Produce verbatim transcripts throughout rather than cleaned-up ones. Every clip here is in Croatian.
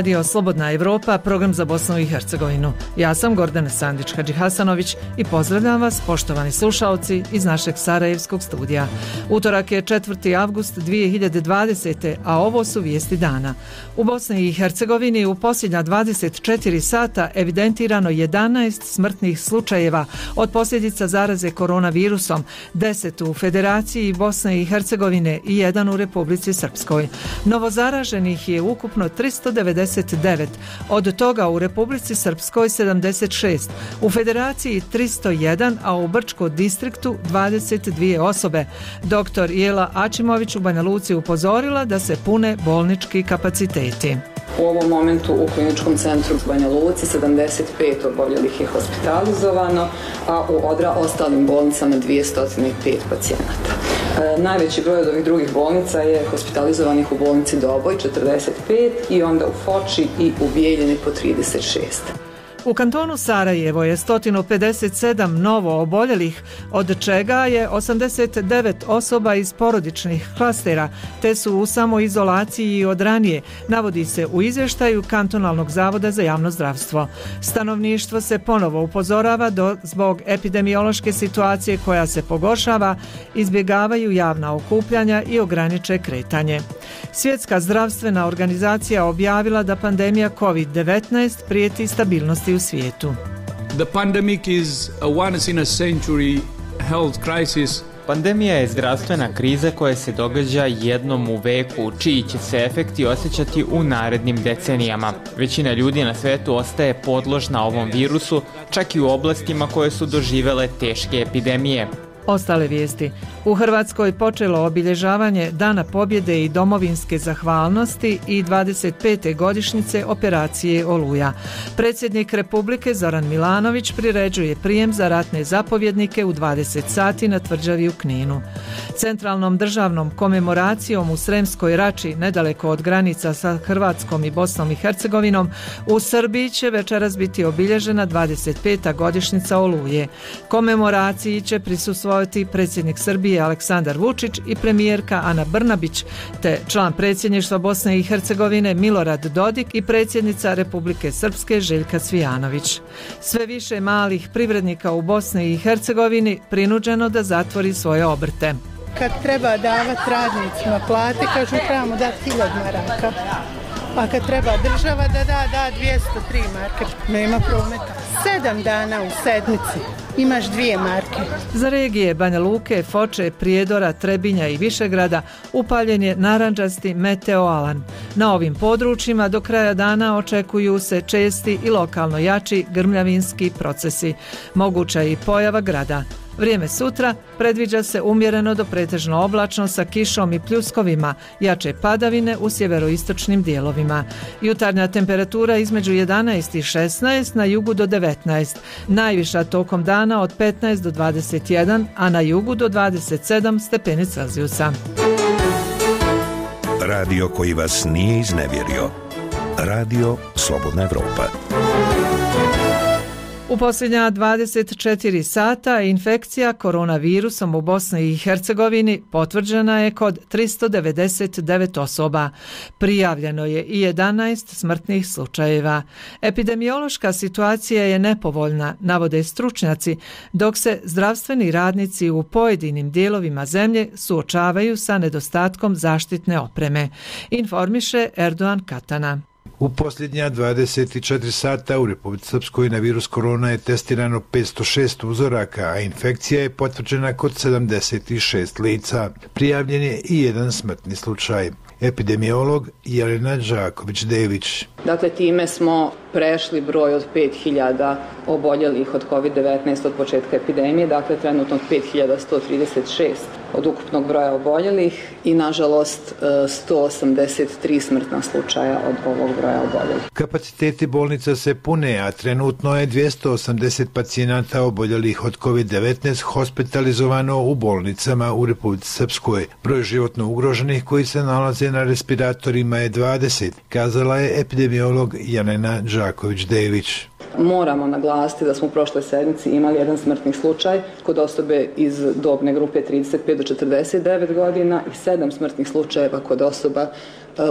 Radio Slobodna Evropa, program za Bosnu i Hercegovinu. Ja sam Gordana Sandić-Hadžihasanović i pozdravljam vas, poštovani slušaoci, iz našeg sarajevskog studija. Utorak je četvrti avgust dvije hiljade dvadesete. a ovo su vijesti dana. U Bosni i Hercegovini u posljednja dvadeset četiri sata evidentirano jedanaest smrtnih slučajeva od posljedica zaraze koronavirusom, deset u Federaciji Bosne i Hercegovine i jedan u Republici Srpskoj. Novozaraženih je ukupno tristo devedeset devet, od toga u Republici Srpskoj sedamdeset šest, u Federaciji tristo jedan, a u Brčko distriktu dvadeset dvije osobe. Doktor Jela Ačimović u Banja Luci upozorila da se pune bolnički kapaciteti. U ovom momentu u kliničkom centru u Banja Luci sedamdeset pet oboljelih je hospitalizovano, a u odra ostalim bolnicama dvjesto pet pacijenata. E, najveći broj od ovih drugih bolnica je hospitalizovanih u bolnici Doboj četrdeset pet i onda u Foči i u Bijeljini po trideset šest. U kantonu Sarajevo je sto pedeset sedam novo oboljelih, od čega je osamdeset devet osoba iz porodičnih klastera, te su u samoizolaciji od ranije, navodi se u izvještaju Kantonalnog zavoda za javno zdravstvo. Stanovništvo se ponovo upozorava da zbog epidemiološke situacije koja se pogoršava, izbjegavaju javna okupljanja i ograniče kretanje. Svjetska zdravstvena organizacija objavila da pandemija kovid devetnaest prijeti stabilnosti u svijetu. The pandemic is a once in a century health crisis. Pandemija je zdravstvena kriza koja se događa jednom u veku, čiji će se efekti osjećati u narednim decenijama. Većina ljudi na svijetu ostaje podložna ovom virusu, čak i u oblastima koje su doživjele teške epidemije. Ostale vijesti. U Hrvatskoj počelo obilježavanje Dana pobjede i domovinske zahvalnosti i dvadeset pete godišnjice operacije Oluja. Predsjednik Republike Zoran Milanović priređuje prijem za ratne zapovjednike u dvadeset sati na tvrđavi u Kninu. Centralnom državnom komemoracijom u Sremskoj Rači, nedaleko od granica sa Hrvatskom i Bosnom i Hercegovinom, u Srbiji će večeras biti obilježena dvadeset peta godišnjica Oluje. Komemoraciji će prisustvovati predsjednik Srbije Aleksandar Vučić i premijerka Ana Brnabić, te član predsjedništva Bosne i Hercegovine Milorad Dodik i predsjednica Republike Srpske Željka Cvijanović. Sve više malih privrednika u Bosni i Hercegovini prinuđeno da zatvori svoje obrte. Kad treba davati radnicima plate, kažu trebamo dati hiljadu maraka. A kad treba država da da, da dvjesto tri marke. Nema prometa. Sedam dana u sedmici imaš dvije marke. Za regije Banja Luke, Foče, Prijedora, Trebinja i Višegrada upaljen je narandžasti meteoalan. Na ovim područjima do kraja dana očekuju se česti i lokalno jači grmljavinski procesi. Moguća je i pojava grada. Vrijeme sutra predviđa se umjereno do pretežno oblačno sa kišom i pljuskovima, jače padavine u sjeveroistočnim dijelovima. Jutarnja temperatura između jedanaest i šesnaest, na jugu do devetnaest, najviša tokom dana od petnaest do dvadeset jedan, a na jugu do dvadeset sedam stepeni Celzijusa. Radio koji vas nije iznevjerio. Radio Slobodna Evropa. U posljednja dvadeset četiri sata infekcija koronavirusom u Bosni i Hercegovini potvrđena je kod tristo devedeset devet osoba. Prijavljeno je i jedanaest smrtnih slučajeva. Epidemiološka situacija je nepovoljna, navode stručnjaci, dok se zdravstveni radnici u pojedinim dijelovima zemlje suočavaju sa nedostatkom zaštitne opreme, informiše Erdogan Katana. U posljednja dvadeset četiri sata u Republici Srpskoj na virus korona je testirano petsto šest uzoraka, a infekcija je potvrđena kod sedamdeset šest lica. Prijavljen je i jedan smrtni slučaj. Epidemiolog Jelena Đaković-Dević. Dakle, time smo prešli broj od pet hiljada oboljelih od kovid devetnaest od početka epidemije, dakle trenutno pet hiljada sto trideset šest od ukupnog broja oboljelih i nažalost sto osamdeset tri smrtna slučaja od ovog broja oboljelih. Kapaciteti bolnica se pune, a trenutno je dvjesto osamdeset pacijenata oboljelih od kovid devetnaest hospitalizovano u bolnicama u Republici Srpskoj. Broj životno ugroženih koji se nalaze na respiratorima je dvadeset, kazala je epidemiolog Jelena Đaković-Dević. Moramo naglasiti da smo u prošloj sedmici imali jedan smrtni slučaj kod osobe iz dobne grupe trideset pet do četrdeset devet godina i sedam smrtnih slučajeva kod osoba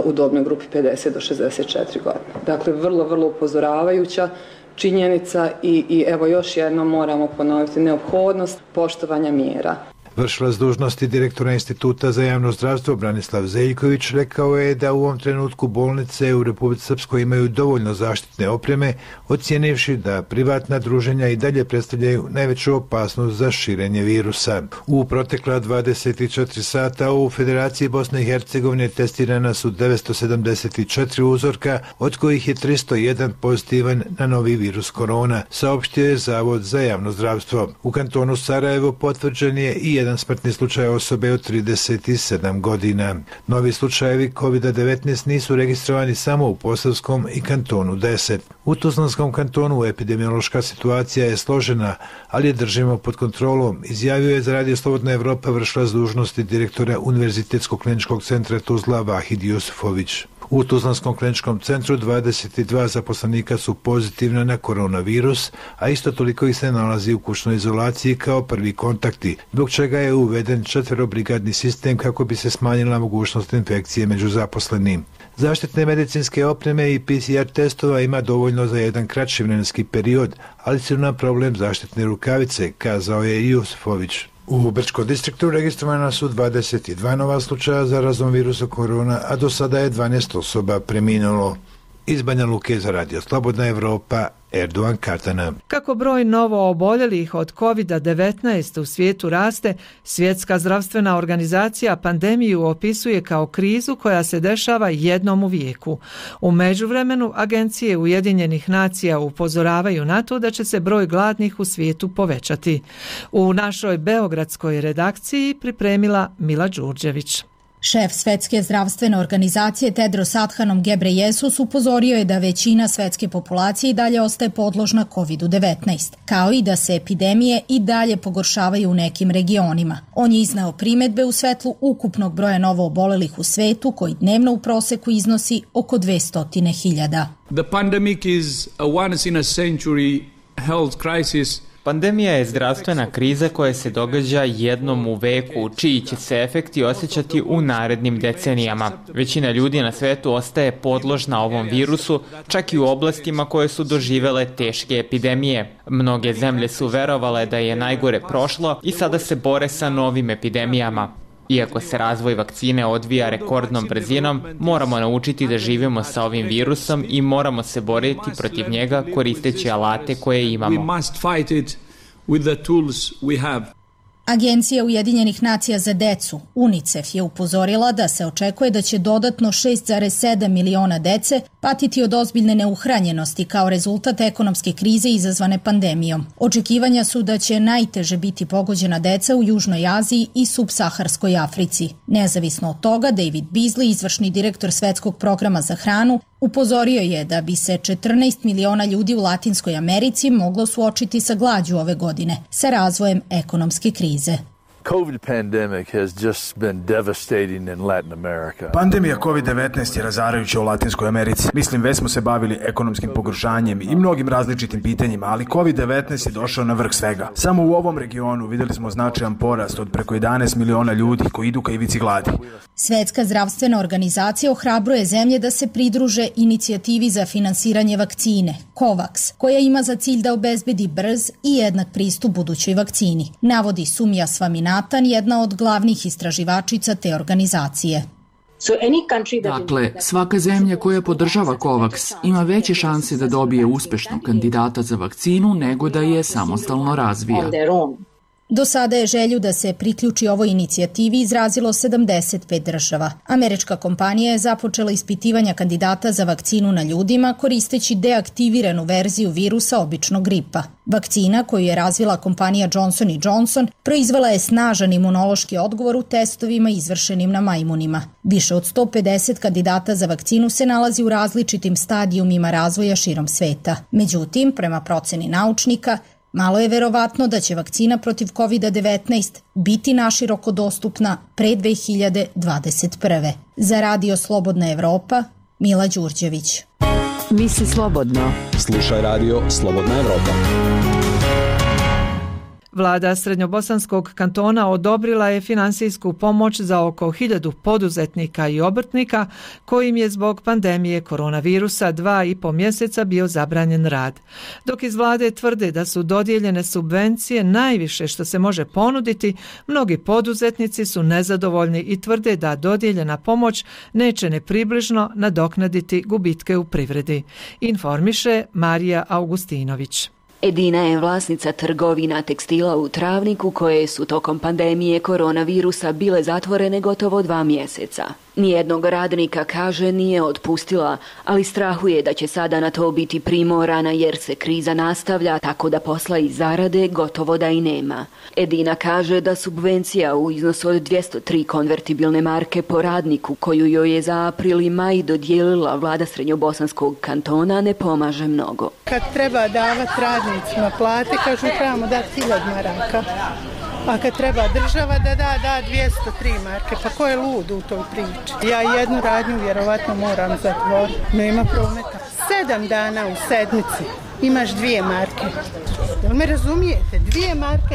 u dobnoj grupi pedeset do šezdeset četiri godine. Dakle, vrlo, vrlo upozoravajuća činjenica i, i evo još jednom moramo ponoviti neophodnost poštovanja mjera. Vršilac dužnosti direktora Instituta za javno zdravstvo Branislav Zeljković rekao je da u ovom trenutku bolnice u Republici Srpskoj imaju dovoljno zaštitne opreme, ocijenivši da privatna druženja i dalje predstavljaju najveću opasnost za širenje virusa. U protekla dvadeset četiri sata u Federaciji Bosne i Hercegovine testirana su devetsto sedamdeset četiri uzorka, od kojih je tristo jedan pozitivan na novi virus korona, saopštio je Zavod za javno zdravstvo. U kantonu Sarajevo potvrđen je i jedan smrtni slučaj osobe od trideset sedam godina. Novi slučajevi kovid devetnaest nisu registrovani samo u Posavskom i kantonu deset. U Tuzlanskom kantonu epidemiološka situacija je složena, ali je držimo pod kontrolom, izjavio je za Radio Slobodna Evropa vršilac dužnosti direktora Univerzitetskog kliničkog centra Tuzla Vahid Jusufović. U Tuzlanskom kliničkom centru dvadeset dva zaposlenika su pozitivna na koronavirus, a isto toliko ih se nalazi u kućnoj izolaciji kao prvi kontakti, zbog čega je uveden četverobrigadni sistem kako bi se smanjila mogućnost infekcije među zaposlenim. Zaštitne medicinske opreme i P C R testova ima dovoljno za jedan kraći vremenski period, ali su nam problem zaštitne rukavice, kazao je Jusufović. U Brčkom distriktu registrovana su dvadeset dva nova slučaja zarazom virusa korona, a do sada je dvanaest osoba preminulo. Iz Banja Luke za Radio Slobodna Evropa, Erdogan Katana. Kako broj novo oboljelih od kovid devetnaest u svijetu raste, Svjetska zdravstvena organizacija pandemiju opisuje kao krizu koja se dešava jednom u vijeku. U međuvremenu agencije Ujedinjenih nacija upozoravaju na to da će se broj gladnih u svijetu povećati. U našoj beogradskoj redakciji pripremila Mila Đurđević. Šef Svetske zdravstvene organizacije Tedros Adhanom Ghebreyesus upozorio je da većina svetske populacije i dalje ostaje podložna kovid devetnaest, kao i da se epidemije i dalje pogoršavaju u nekim regionima. On je izneo primedbe u svetlu ukupnog broja novo obolelih u svetu, koji dnevno u proseku iznosi oko dvesta hiljada. The pandemic is a once in a century health crisis. Pandemija je zdravstvena kriza koja se događa jednom u veku, čiji će se efekti osjećati u narednim decenijama. Većina ljudi na svetu ostaje podložna ovom virusu, čak i u oblastima koje su doživele teške epidemije. Mnoge zemlje su verovale da je najgore prošlo i sada se bore sa novim epidemijama. Iako se razvoj vakcine odvija rekordnom brzinom, moramo naučiti da živimo sa ovim virusom i moramo se boriti protiv njega koristeći alate koje imamo. Agencija Ujedinjenih nacija za decu, UNICEF, je upozorila da se očekuje da će dodatno šest zarez sedam miliona dece patiti od ozbiljne neuhranjenosti kao rezultat ekonomske krize izazvane pandemijom. Očekivanja su da će najteže biti pogođena deca u Južnoj Aziji i subsaharskoj Africi. Nezavisno od toga, David Beasley, izvršni direktor Svetskog programa za hranu, upozorio je da bi se četrnaest miliona ljudi u Latinskoj Americi moglo suočiti sa glađu ove godine, sa razvojem ekonomske krize. COVID pandemic has just been devastating in Latin America. Pandemija kovid devetnaest je razarajuća u Latinskoj Americi. Mislim, već smo se bavili ekonomskim pogoršanjem i mnogim različitim pitanjima, ali kovid devetnaest je došao na vrh svega. Samo u ovom regionu vidjeli smo značajan porast od preko jedanaest miliona ljudi koji idu ka ivici gladi. Svetska zdravstvena organizacija ohrabruje zemlje da se pridruže inicijativi za finansiranje vakcine, COVAX, koja ima za cilj da obezbedi brz i jednak pristup budućoj vakcini, navodi Sumija Svaminathan, jedna od glavnih istraživačica te organizacije. Dakle, svaka zemlja koja podržava COVAX ima veće šanse da dobije uspešnog kandidata za vakcinu nego da je samostalno razvija. Do sada je želju da se priključi ovoj inicijativi izrazilo sedamdeset pet država. Američka kompanija je započela ispitivanja kandidata za vakcinu na ljudima koristeći deaktiviranu verziju virusa običnog gripa. Vakcina koju je razvila kompanija Johnson and Johnson proizvela je snažan imunološki odgovor u testovima izvršenim na majmunima. Više od sto pedeset kandidata za vakcinu se nalazi u različitim stadijumima razvoja širom sveta. Međutim, prema proceni naučnika, malo je verovatno da će vakcina protiv kovid devetnaest biti naširoko dostupna pre dve hiljade dvadeset prve. Za Radio Slobodna Evropa, Mila Đurđević. Misli slobodno. Slušaj Radio Slobodna Evropa. Vlada Srednjobosanskog kantona odobrila je finansijsku pomoć za oko hiljadu poduzetnika i obrtnika kojim je zbog pandemije koronavirusa dva i po mjeseca bio zabranjen rad. Dok iz vlade tvrde da su dodijeljene subvencije najviše što se može ponuditi, mnogi poduzetnici su nezadovoljni i tvrde da dodijeljena pomoć neće ne približno nadoknaditi gubitke u privredi. Informiše Marija Augustinović. Edina je vlasnica trgovina tekstila u Travniku koje su tokom pandemije koronavirusa bile zatvorene gotovo dva mjeseca. Nijednog radnika, kaže, nije otpustila, ali strahuje da će sada na to biti primorana jer se kriza nastavlja, tako da posla i zarade gotovo da i nema. Edina kaže da subvencija u iznosu od dvjesto tri konvertibilne marke po radniku koju joj je za april i maj dodijelila vlada Srednjobosanskog kantona ne pomaže mnogo. Kad treba davati radnicima plate, kažu trebamo dati hiljadu maraka. A kad treba država da da, da dvjesto tri marke, pa ko je lud u toj priči? Ja jednu radnju vjerovatno moram zatvoriti, nema prometa. Sedam dana u sedmici imaš dvije marke. Jel me razumijete? Dvije marke.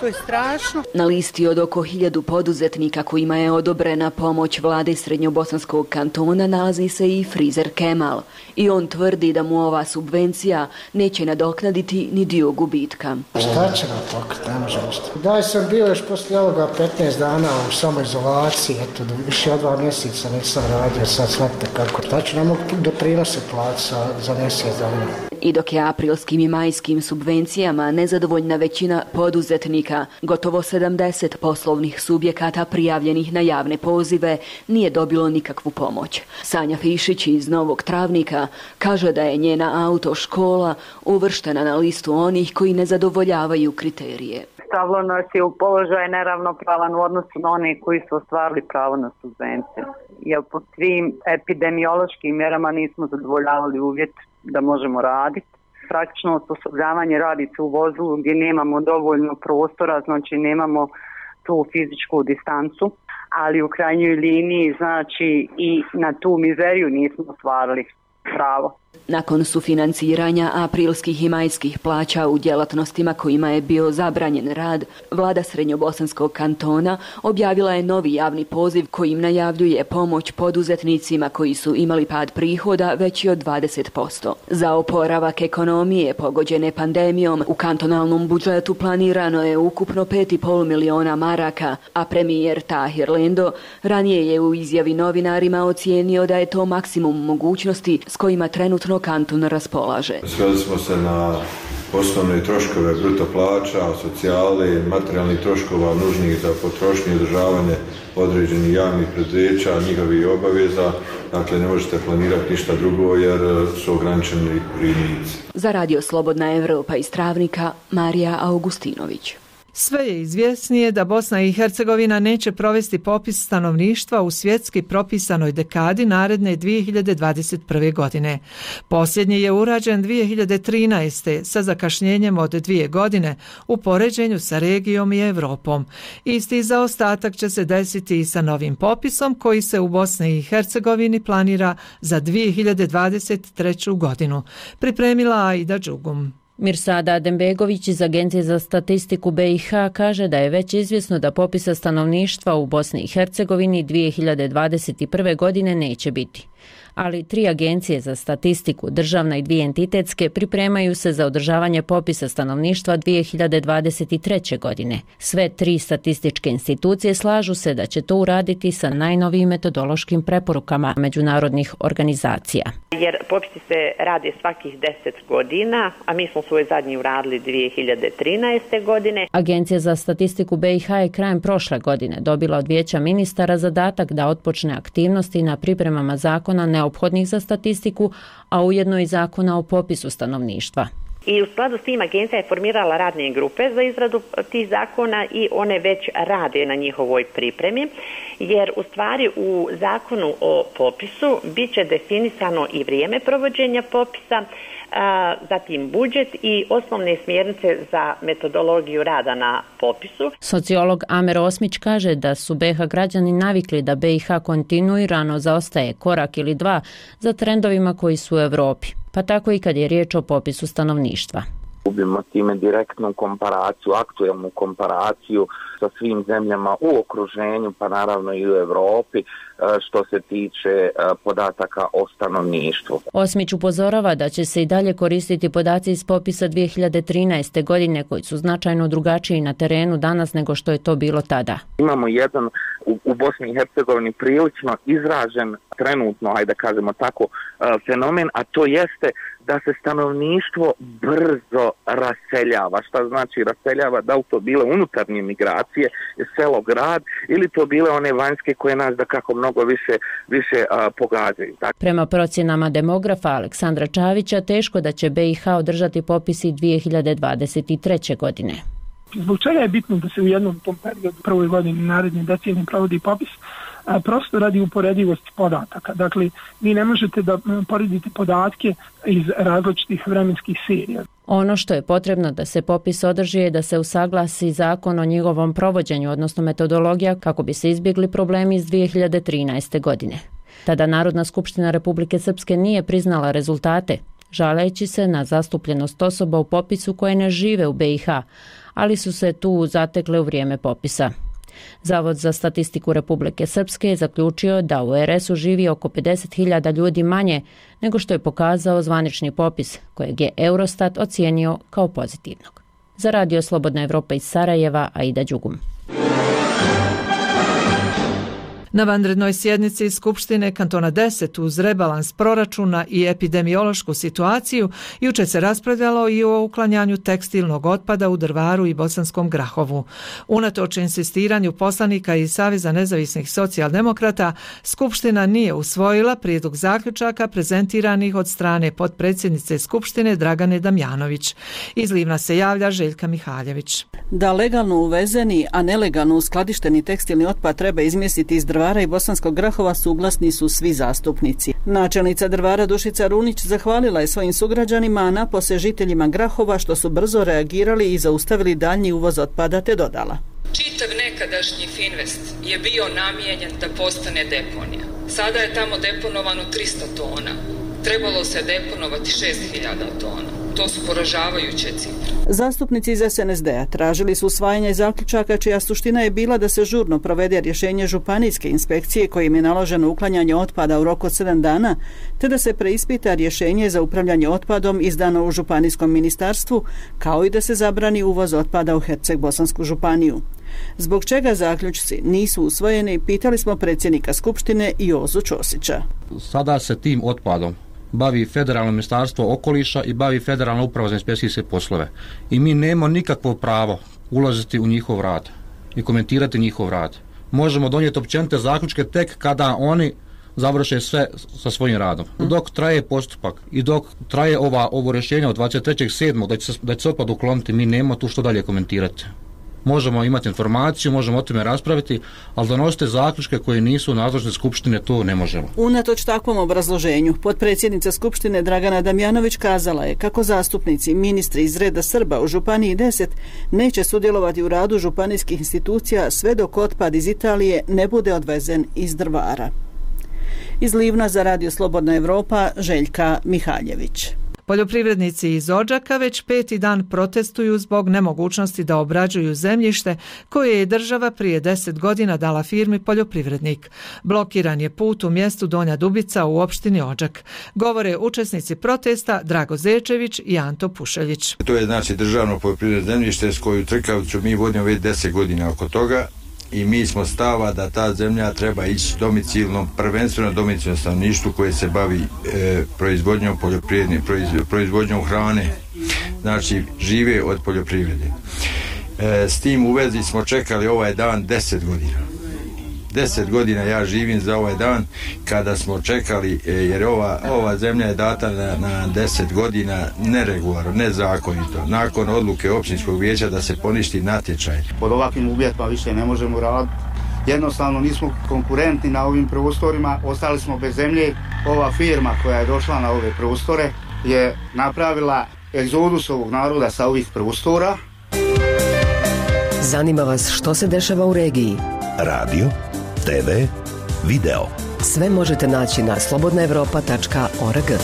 To je strašno. Na listi od oko hiljadu poduzetnika kojima je odobrena pomoć vlade Srednjobosanskog kantona nalazi se i frizer Kemal. I on tvrdi da mu ova subvencija neće nadoknaditi ni dio gubitka. Šta će nam pokriti, ne može ništa. Daj sam bio još poslije ovoga petnaest dana u samoizolaciji, eto, više od dva mjeseca nisam radio, sad shvatite kako. Šta će nam doprinose plaća za, za mjesec dana. I dok je aprilskim i majskim subvencijama nezadovoljna većina poduzetnika, gotovo sedamdeset poslovnih subjekata prijavljenih na javne pozive nije dobilo nikakvu pomoć. Sanja Fišić iz Novog Travnika kaže da je njena autoškola uvrštena na listu onih koji ne zadovoljavaju kriterije. Stavilo nas je u položaj neravnopravan u odnosu na one koji su ostvarili pravo na subvencije. Jer po svim epidemiološkim mjerama nismo zadovoljavali uvjet da možemo raditi. Praktično osposobljavanje radi se u vozilu gdje nemamo dovoljno prostora, znači nemamo tu fizičku distancu, ali u krajnjoj liniji znači i na tu mizeriju nismo ostvarili pravo. Nakon sufinanciranja aprilskih i majskih plaća u djelatnostima kojima je bio zabranjen rad, vlada Srednjobosanskog kantona objavila je novi javni poziv kojim najavljuje pomoć poduzetnicima koji su imali pad prihoda veći od dvadeset posto. Za oporavak ekonomije pogođene pandemijom u kantonalnom budžetu planirano je ukupno pet i pol miliona maraka, a premijer Tahir Lendo ranije je u izjavi novinarima ocijenio da je to maksimum mogućnosti s kojima trenutno kanton raspolaže. Sveli smo se na osnovne troškove bruto plaća, socijale, materijalnih troškova nužnih za potrošnju i održavanje određenih javnih preduzeća, njihovih obaveza. Dakle, ne možete planirati ništa drugo jer su ograničeni primici. Za Radio Slobodna Evropa iz Travnika, Marija Augustinović. Sve je izvjesnije da Bosna i Hercegovina neće provesti popis stanovništva u svjetski propisanoj dekadi naredne dvije hiljade dvadeset prve. godine. Posljednji je urađen dvije hiljade trinaeste. sa zakašnjenjem od dvije godine u poređenju sa regijom i Europom. Isti zaostatak će se desiti i sa novim popisom koji se u Bosni i Hercegovini planira za dvije hiljade dvadeset treću. godinu. Pripremila Aida Đugum. Mirsada Adembegović iz Agencije za statistiku B i H kaže da je već izvjesno da popisa stanovništva u Bosni i Hercegovini dvije hiljade dvadeset prve. godine neće biti. Ali tri agencije za statistiku, državna i dvije entitetske, pripremaju se za održavanje popisa stanovništva dvije hiljade dvadeset treće. godine. Sve tri statističke institucije slažu se da će to uraditi sa najnovijim metodološkim preporukama međunarodnih organizacija. Jer popisi se rade svakih deset godina, a mi smo svoj zadnji uradili dvije hiljade trinaeste. godine. Agencija za statistiku B i H je krajem prošle godine dobila od Vijeća ministara zadatak da otpočne aktivnosti na pripremama zakona neophodnih za statistiku, a ujedno i zakona o popisu stanovništva. I u skladu s tim agencija je formirala radne grupe za izradu tih zakona i one već rade na njihovoj pripremi, jer u stvari u zakonu o popisu bit će definisano i vrijeme provođenja popisa, a, zatim budžet i osnovne smjernice za metodologiju rada na popisu. Sociolog Amer Osmić kaže da su B i H građani navikli da B i H kontinuirano zaostaje korak ili dva za trendovima koji su u Europi, pa tako i kad je riječ o popisu stanovništva. Gubimo time direktnu komparaciju, aktuelnu komparaciju sa svim zemljama u okruženju, pa naravno i u Europi, što se tiče podataka o stanovništvu. Osmić upozorava da će se i dalje koristiti podaci iz popisa dvije hiljade trinaeste. godine koji su značajno drugačiji na terenu danas nego što je to bilo tada. Imamo jedan u, u Bosni i Hercegovini prilično izražen trenutno, ajde da kažemo tako, fenomen, a to jeste da se stanovništvo brzo raseljava. Šta znači raseljava? Da li to bile unutarnje migracije, selo, grad, ili to bile one vanjske koje nas da kako mnogo više, više a, pogađaju. Tak. Prema procjenama demografa Aleksandra Čavića, teško da će be i ha održati popisi dvije hiljade dvadeset treće. godine. Zbog čega je bitno da se u jednom tom periodu, prvoj godini naredne decenije provodi popis? A, prosto radi uporedivosti podataka. Dakle, vi ne možete da poredite podatke iz različitih vremenskih serija. Ono što je potrebno da se popis održi je da se usaglasi zakon o njegovom provođenju, odnosno metodologija, kako bi se izbjegli problemi iz dvije hiljade trinaeste. godine. Tada Narodna skupština Republike Srpske nije priznala rezultate, žaleći se na zastupljenost osoba u popisu koje ne žive u be i ha, ali su se tu zatekle u vrijeme popisa. Zavod za statistiku Republike Srpske je zaključio da u er esu živi oko pedeset hiljada ljudi manje nego što je pokazao zvanični popis, kojeg je Eurostat ocijenio kao pozitivnog. Za Radio Slobodna Evropa iz Sarajeva, Aida Đugum. Na vanrednoj sjednici Skupštine kantona deset uz rebalans proračuna i epidemiološku situaciju jučer se raspravljalo i o uklanjanju tekstilnog otpada u Drvaru i Bosanskom Grahovu. Unatoč insistiranju poslanika iz Saveza nezavisnih socijaldemokrata, Skupština nije usvojila prijedlog zaključaka prezentiranih od strane potpredsjednice Skupštine Dragane Damjanović. Iz Livna se javlja Željka Mihaljević. Da legalno uvezeni, a nelegalno uskladišteni tekstilni otpad treba izmjestiti iz Drvara i Bosanskog Grahova suglasni su svi zastupnici. Načelnica Drvara Dušica Runić zahvalila je svojim sugrađanima, a napose žiteljima Grahova što su brzo reagirali i zaustavili daljnji uvoz otpada, te dodala. Čitav nekadašnji Finvest je bio namijenjen da postane deponija. Sada je tamo deponovano tristo tona. Trebalo se deponovati šest hiljada tona. To su poražavajuće cifre. Zastupnici iz es en es de a tražili su usvajanje zaključaka čija suština je bila da se žurno provede rješenje županijske inspekcije kojim je naloženo uklanjanje otpada u roku od sedam dana, te da se preispita rješenje za upravljanje otpadom izdano u županijskom ministarstvu, kao i da se zabrani uvoz otpada u Herceg-Bosansku županiju. Zbog čega zaključci nisu usvojeni, pitali smo predsjednika Skupštine Jozu Ćosića. Sada se tim otpadom bavi Federalno ministarstvo okoliša i bavi Federalna uprava za inspekcijske poslove. I mi nemamo nikakvo pravo ulaziti u njihov rad i komentirati njihov rad. Možemo donijeti općenite zaključke tek kada oni završe sve sa svojim radom. Dok traje postupak i dok traje ova, ovo rješenje od dvadeset trećeg sedmog da će se, da će se otpad ukloniti, mi nemamo tu što dalje komentirati. Možemo imati informaciju, možemo o tome raspraviti, ali donosite zaključke koje nisu nadležne Skupštine, to ne možemo. Unatoč takvom obrazloženju, potpredsjednica Skupštine Dragana Damjanović kazala je kako zastupnici i ministri iz reda Srba u Županiji deset neće sudjelovati u radu županijskih institucija sve dok otpad iz Italije ne bude odvezen iz Drvara. Iz Livna za Radio Slobodna Evropa, Željka Mihaljević. Poljoprivrednici iz Odžaka već peti dan protestuju zbog nemogućnosti da obrađuju zemljište koje je država prije deset godina dala firmi Poljoprivrednik. Blokiran je put u mjestu Donja Dubica u opštini Odžak. Govore učesnici protesta Drago Zečević i Anto Pušeljić. To je znači državno poljoprivredno zemljište s koju trkavicu mi vodimo već deset godina oko toga. I mi smo stava da ta zemlja treba ići domicilnom, prvenstveno domicilnom stanovništvu koje se bavi e, proizvodnjom poljoprivredne, proiz, proizvodnjom hrane, znači žive od poljoprivrede. E, s tim u vezi smo čekali ovaj dan deset godina. Deset godina ja živim za ovaj dan kada smo čekali, e, jer ova, ova zemlja je data na, na deset godina neregularno, nezakonito, nakon odluke općinskog vijeća da se poništi natječaj. Pod ovakvim uvjetima više ne možemo raditi. Jednostavno nismo konkurentni na ovim prostorima, ostali smo bez zemlje. Ova firma koja je došla na ove prostore je napravila egzodus ovog naroda sa ovih prostora. Zanima vas što se dešava u regiji? Radio, te ve, video. Sve možete naći na slobodna evropa tačka org.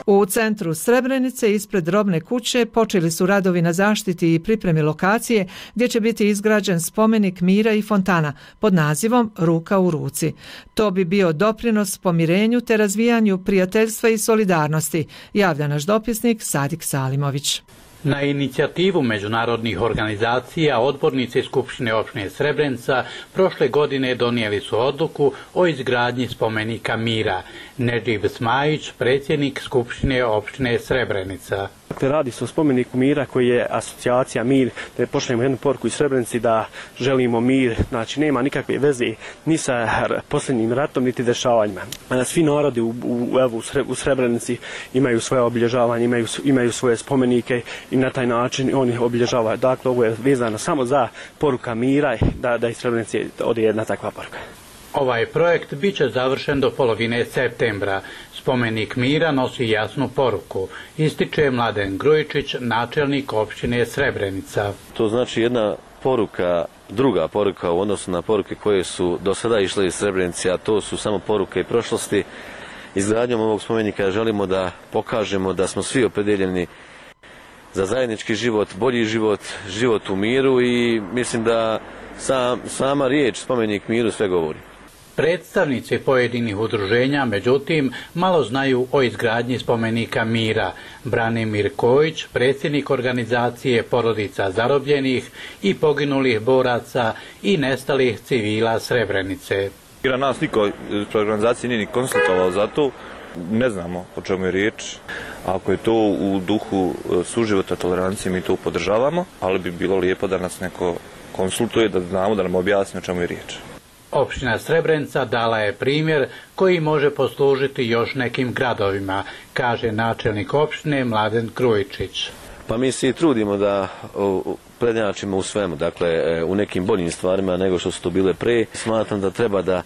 U centru Srebrenice ispred robne kuće počeli su radovi na zaštiti i pripremi lokacije gdje će biti izgrađen spomenik mira i fontana pod nazivom Ruka u ruci. To bi bio doprinos pomirenju te razvijanju prijateljstva i solidarnosti, javlja naš dopisnik Sadik Salimović. Na inicijativu međunarodnih organizacija odbornici Skupštine opštine Srebrenica prošle godine donijeli su odluku o izgradnji spomenika mira. Nedživ Smajić, predsjednik Skupštine opštine Srebrenica. Dakle, radi se o spomeniku mira koji je asocijacija mir, da pošaljemo jednu poruku iz Srebrenici da želimo mir, znači nema nikakve veze ni sa posljednjim ratom niti dešavanjima. Svi narodi u, u, evo, u Srebrenici imaju svoje obilježavanje, imaju, imaju svoje spomenike i na taj način oni obilježavaju. Dakle, ovo je vezano samo za poruka mira, da, da iz Srebrenici ode jedna takva poruka. Ovaj projekt bit će završen do polovine septembra. Spomenik mira nosi jasnu poruku, ističe Mladen Grujičić, načelnik opštine Srebrenica. To znači jedna poruka, druga poruka u odnosu na poruke koje su do sada išle iz Srebrenice, a to su samo poruke i prošlosti. Izgradnjom ovog spomenika želimo da pokažemo da smo svi opredeljeni za zajednički život, bolji život, život u miru i mislim da sam, sama riječ spomenik miru sve govori. Predstavnici pojedinih udruženja, međutim, malo znaju o izgradnji spomenika mira. Branimir Kojić, predsjednik organizacije Porodica zarobljenih i poginulih boraca i nestalih civila Srebrenice. Nas niko iz organizacije nije ni konsultovao za to, ne znamo o čemu je riječ. Ako je to u duhu suživota tolerancije, mi to podržavamo, ali bi bilo lijepo da nas neko konsultuje, da znamo, da nam objasni o čemu je riječ. Opština Srebrenica dala je primjer koji može poslužiti još nekim gradovima, kaže načelnik opštine Mladen Grujičić. Pa mi se i trudimo da prednjačimo u svemu, dakle u nekim boljim stvarima nego što su to bile pre. Smatram da treba da,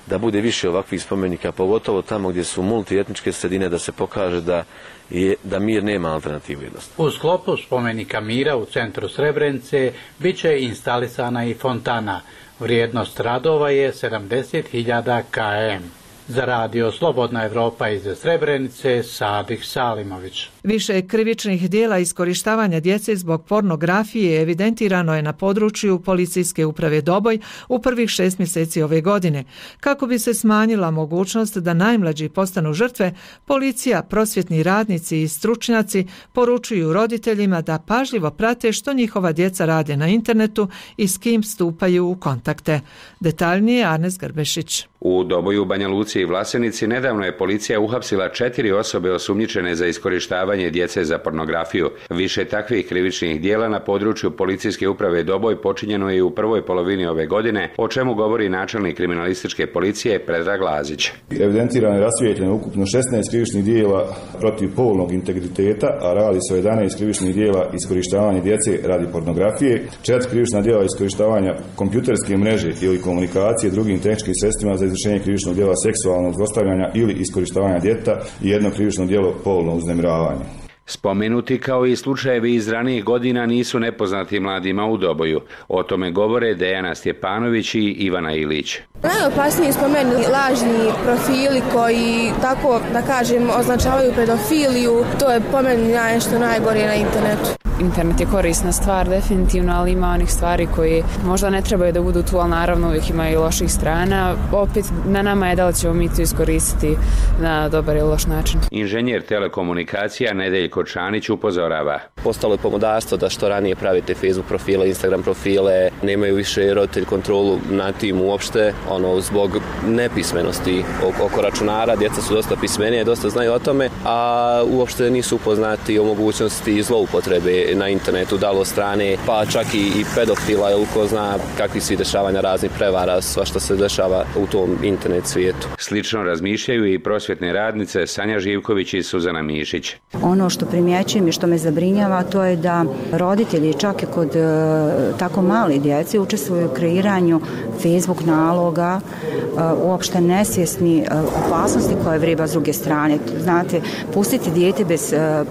da bude više ovakvih spomenika, pogotovo tamo gdje su multietničke sredine, da se pokaže da, je, da mir nema alternativu jednostavno. U sklopu spomenika mira u centru Srebrenice bit će instalisana i fontana. Vrijednost radova je sedamdeset hiljada km. Za radio Slobodna Evropa iz Srebrenice, Sadik Salimović. Više krivičnih dijela iskorištavanja djece zbog pornografije evidentirano je na području Policijske uprave Doboj u prvih šest mjeseci ove godine. Kako bi se smanjila mogućnost da najmlađi postanu žrtve, policija, prosvjetni radnici i stručnjaci poručuju roditeljima da pažljivo prate što njihova djeca rade na internetu i s kim stupaju u kontakte. Detaljnije Arnes Grbešić. U Doboju, Banja Luci i Vlasenici nedavno je policija uhapsila četiri osobe osumnjičene za iskorištavanje djece za pornografiju. Više takvih krivičnih dijela na području Policijske uprave Doboj počinjeno je u prvoj polovini ove godine, o čemu govori načelnik kriminalističke policije Predrag Lazić. Evidentirano je rasvijetljeno ukupno šesnaest krivičnih dijela protiv polnog integriteta, a radi se o jedanaest krivičnih dijela iskorištavanja djece radi pornografije, četiri krivična dijela iskorištavanja kompjuterske mreže ili komunikacije drugim tehničkim sredstvima za izvršenje krivičnog djela seksualnog zlostavljanja ili iskorištavanja djeteta i jedno krivično djelo polno uznemiravanje. Spomenuti kao i slučajevi iz ranijih godina nisu nepoznati mladima u Doboju. O tome govore Dejana Stjepanović i Ivana Ilić. Najopasniji spomeni lažni profili koji, tako da kažem, označavaju pedofiliju. To je po meni nešto najgore na internetu. Internet je korisna stvar, definitivno, ali ima onih stvari koji možda ne trebaju da budu tu, ali naravno uvijek ima i loših strana. Opet na nama je da li ćemo mi to iskoristiti na dobar ili loš način. Inženjer telekomunikacija Nedeljko Čanić upozorava. Postalo je pomodarstvo da što ranije pravite Facebook profile, Instagram profile, nemaju više roditelj kontrolu na tim uopšte, ono, zbog nepismenosti oko računara, djeca su dosta pismenije, dosta znaju o tome, a uopšte nisu upoznati o mogućnosti zloupotrebe na internetu, da li od strane, pa čak i, i pedofila, ili ko zna kakvi su dešavanja raznih prevara, sva što se dešava u tom internet svijetu. Slično razmišljaju i prosvjetne radnice Sanja Živković i Suzana Mišić. Ono što primjećujem i što me zabrinjava, to je da roditelji čak i kod e, tako mali djece učestvuju u kreiranju Facebook naloga, e, uopšte nesvjesni e, opasnosti koje vreba s druge strane. Znate, pustiti dijete bez e,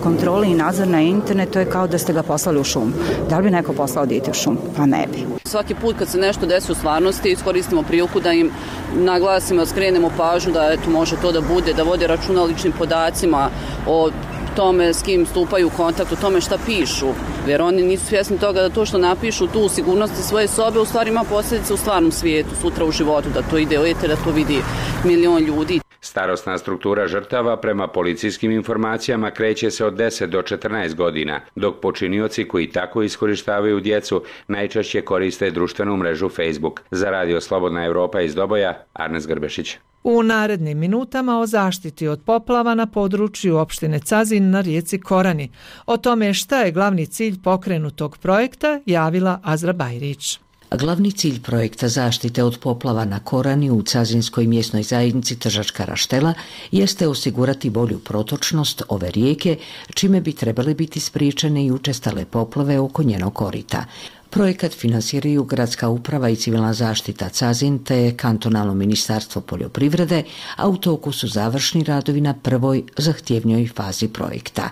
kontrole i nadzor na internet, to je kao da ste ga poslali u šum. Da li bi neko poslao dite u šum? Pa ne bi. Svaki put kad se nešto desi u stvarnosti, iskoristimo priliku da im naglasimo, skrenemo pažnju da eto, može to da bude, da vode računa o ličnim podacima, o tome s kim stupaju u kontakt, o tome šta pišu. Jer oni nisu svjesni toga da to što napišu tu u sigurnosti svoje sobe u stvari ima posljedice u stvarnom svijetu, sutra u životu, da to ide u eter, da to vidi milion ljudi. Starosna struktura žrtava prema policijskim informacijama kreće se od deset do četrnaest godina, dok počinioci koji tako iskorištavaju djecu najčešće koriste društvenu mrežu Facebook. Za Radio Slobodna Evropa iz Doboja, Arnes Grbešić. U narednim minutama o zaštiti od poplava na području opštine Cazin na rijeci Korani. O tome šta je glavni cilj pokrenutog projekta javila Azra Bajrić. Glavni cilj projekta zaštite od poplava na Korani u Cazinskoj mjesnoj zajednici Tržačka Raštela jeste osigurati bolju protočnost ove rijeke, čime bi trebale biti spriječene i učestale poplave oko njenog korita. Projekat finansiraju Gradska uprava i civilna zaštita Cazin te Kantonalno ministarstvo poljoprivrede, a u toku su završni radovi na prvoj zahtjevnijoj fazi projekta.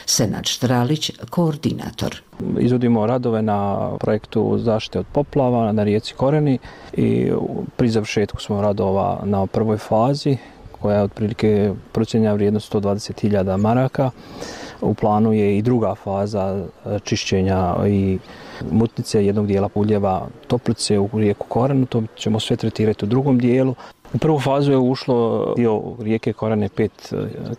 Senad Štralić, koordinator. Izvodimo radove na projektu zaštite od poplava na rijeci Korani i pri završetku smo radova na prvoj fazi koja je otprilike procjenjena vrijednost sto dvadeset hiljada maraka. U planu je i druga faza čišćenja i mutnice jednog dijela puljeva Toplice u rijeku Koranu. To ćemo sve tretirati u drugom dijelu. U prvu fazu je ušlo dio rijeke Korane pet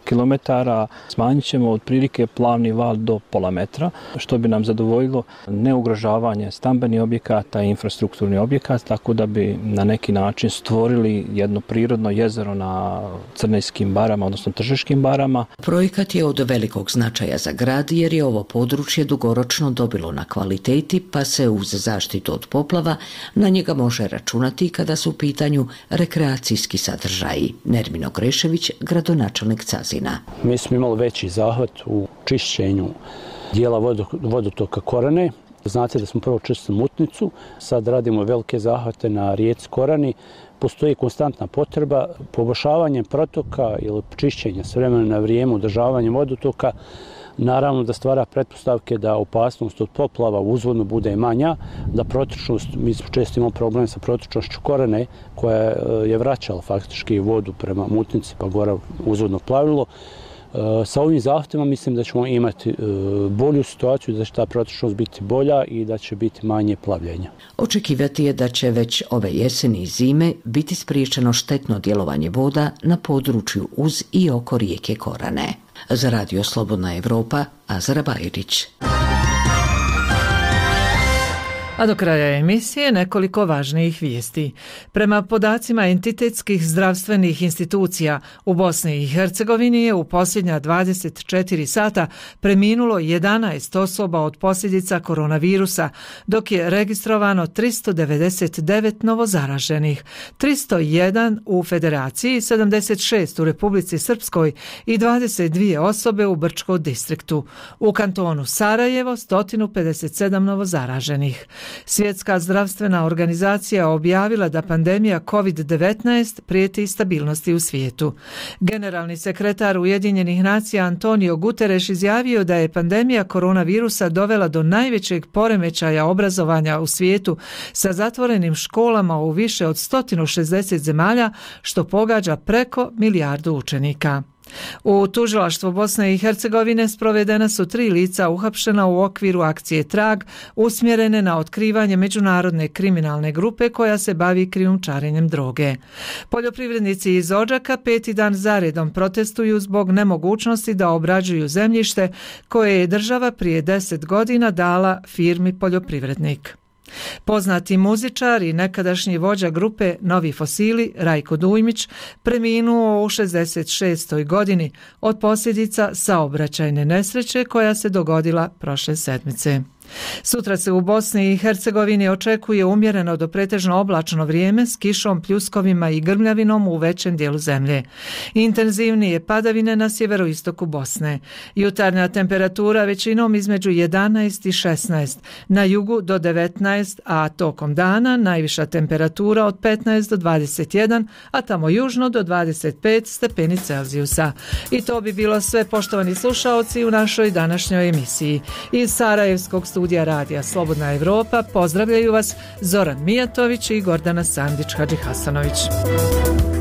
kilometara. Smanjit ćemo otprilike plavni val do pola metra, što bi nam zadovoljilo neugrožavanje stambenih objekata i infrastrukturni objekat, tako da bi na neki način stvorili jedno prirodno jezero na Crnejskim barama, odnosno Tržiškim barama. Projekat je od velikog značaja za grad jer je ovo područje dugoročno dobilo na kvaliteti, pa se uz zaštitu od poplava na njega može računati kada su u pitanju rekreacije sadržaji. Nermino Grešević, gradonačelnik Cazina. Mi smo imali veći zahvat u čišćenju dijela vodotoka Korane. Znate da smo prvo čistili mutnicu, sad radimo velike zahvate na rijeci Korani. Postoji konstantna potreba poboljšavanjem protoka ili čišćenja s vremena na vrijeme, održavanjem vodotoka. Naravno da stvara pretpostavke da opasnost od poplava uzvodno bude manja, da protočnost, mi smo često imali problem sa protočnošću Korane koja je vraćala faktički vodu prema mutnici pa gore uzvodno plavilo. Sa ovim zahtjevima mislim da ćemo imati bolju situaciju, da će ta protočnost biti bolja i da će biti manje plavljenja. Očekivati je da će već ove jeseni i zime biti spriječeno štetno djelovanje voda na području uz i oko rijeke Korane. Za Radio Slobodna Evropa, Azra Bajrić. A do kraja emisije nekoliko važnijih vijesti. Prema podacima entitetskih zdravstvenih institucija u Bosni i Hercegovini je u posljednja dvadeset četiri sata preminulo jedanaest osoba od posljedica koronavirusa, dok je registrovano tristo devedeset devet novozaraženih, tristo jedan u Federaciji, sedamdeset šest u Republici Srpskoj i dvadeset dvije osobe u Brčkom distriktu. U kantonu Sarajevo sto pedeset sedam novozaraženih. Svjetska zdravstvena organizacija objavila da pandemija kovid devetnaest prijeti stabilnosti u svijetu. Generalni sekretar Ujedinjenih nacija Antonio Guterres izjavio da je pandemija koronavirusa dovela do najvećeg poremećaja obrazovanja u svijetu sa zatvorenim školama u više od sto šezdeset zemalja, što pogađa preko milijardu učenika. U tužilaštvu Bosne i Hercegovine sprovedena su tri lica uhapšena u okviru akcije Trag usmjerene na otkrivanje međunarodne kriminalne grupe koja se bavi krijumčarenjem droge. Poljoprivrednici iz Odžaka peti dan zaredom protestuju zbog nemogućnosti da obrađuju zemljište koje je država prije deset godina dala firmi Poljoprivrednik. Poznati muzičar i nekadašnji vođa grupe Novi Fosili, Rajko Dujmić, preminuo u šezdeset šestoj godini od posljedica saobraćajne nesreće koja se dogodila prošle sedmice. Sutra se u Bosni i Hercegovini očekuje umjereno do pretežno oblačno vrijeme s kišom, pljuskovima i grmljavinom u većem dijelu zemlje. Intenzivnije padavine na sjeveroistoku Bosne. Jutarnja temperatura većinom između jedanaest i šesnaest, na jugu do devetnaest, a tokom dana najviša temperatura od petnaest do dvadeset jedan, a tamo južno do dvadeset pet stepeni Celzijusa. I to bi bilo sve, poštovani slušaoci, u našoj današnjoj emisiji. Iz Sarajevskog studija radija Slobodna Evropa pozdravljaju vas Zoran Mijatović i Gordana Sandić-Hadžihasanović.